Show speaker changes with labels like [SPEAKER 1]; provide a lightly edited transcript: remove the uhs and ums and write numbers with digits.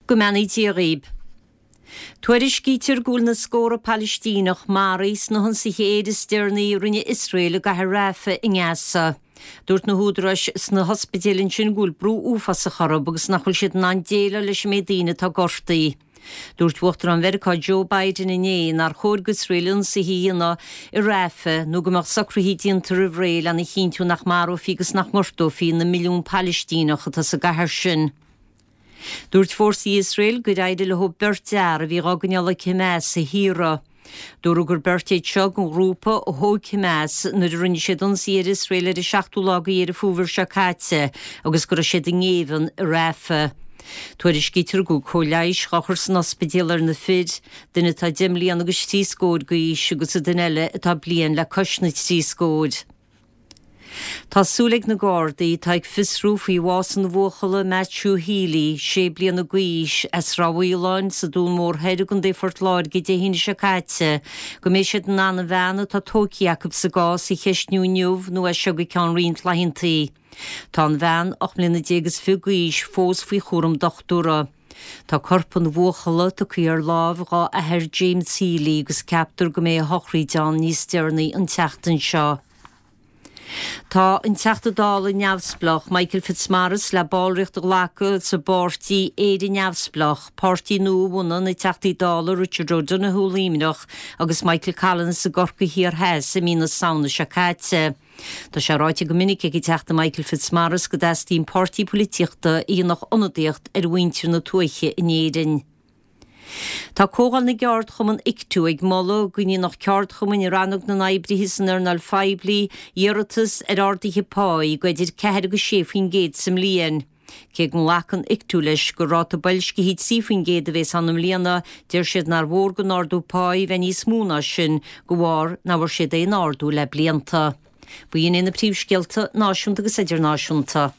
[SPEAKER 1] Go mbeannaí Dia dhaoib. Tuairiscítear go bhfuil na scórtha Palaistíneach maraithe sna hionsaithe aeir is deireanaí a rinne Iosrael i gcathair Rafah i nGaza. Dúirt na húdaráis sna hospidéil ansin go bhfuil brú uafásach orthu agus nach bhfuil siad in ann déileáil leis an méid daoine atá gortaithe. Dúirt Uachtarán Mheiriceá Joe Biden inné nár chóir d'Iosrael ionsaithe a dhéanamh i Rafah nó go mbeadh socruithe déanta roimh ré lena chinntiú nach marófaí agus nach ngortófaí na milliúin Palaistíneach atá sa gcathair sin. Dúirt fórsaí Iosrael gur éirigh leo beirt fhear a bhí dhá gcoinneáil ag Hamas a shaoradh. Dúradh gur beirt iad seo den ghrúpa a thóg Hamas nuair a rinne siad ionsaí ar Iosrael ar an seachtú lá de Dheireadh Fómhair seo caite agus go raibh siad i ngéibheann i Rafah. Tuairiscítear go bhfuil cóir leighis dhá chur san ospidéal ar na fir, duine atá deich mbliana agus thrí scóir d'aois agus an duine eile atá bliain le cois na dtrí scóir. Tá súil ag na Gardaí, atá ag fiosrú faoi bhás an bhuachalla Matthew Healy, sé bliana d'aois, as Ráth Mhaoláin sa Dún Mór Thoir i gContae Phort Láirge Dé hAoine seo caite, go mbeidh siad in ann an bhean atá tógtha acu sa gcás a cheistniú inniu nó as seo go ceann roinnt laethanta. Tá an bhean, 18 mbliana is fiche d'aois, fós faoi chúram dochtúra. Tá corp an bhuachalla tugtha ar láimh dhá athair James Healy agus ceaptar go mbeidh a shochraíd ann níos deireanaí an tseachtain seo. Tá an Teachta Dála neamhspleách Michael Fitzmaurice le ballraíocht a ghlacadh sa bpáirtí Éire Neamhspleách, páirtí nua a bhunaigh na Teachtaí Dála Richard O'Donoghue, Luimneach, agus Michael Collins i gCorcaigh Thiar Theas i mí na Samhna seo caite. Tá sé ráite go minic ag an Teachta Michael Fitzmaurice go dteastaíonn páirtí poilitíochta a dhéanfadh ionadaíocht ar mhuintir na tuaithe in Éirinn. Tá Comhdháil na gCeardchumann Ictu ag moladh go ndéanfadh ceardchumainn i rannóg na n-oibrithe san earnáil phoiblí iarratas ar arduithe páí go idir 4 agus 6% sa mbliain. Cé go nglacann Ictu leis gur ráta boilscithe 3% a bhéas ann i mbliana, deir siad nár mhór don ardú páí bheith níos mó ná sin de bharr nach bhfuair siad aon ardú le blianta. B'in iad na príomhscéalta náisiúnta agus idirnáisiúnta.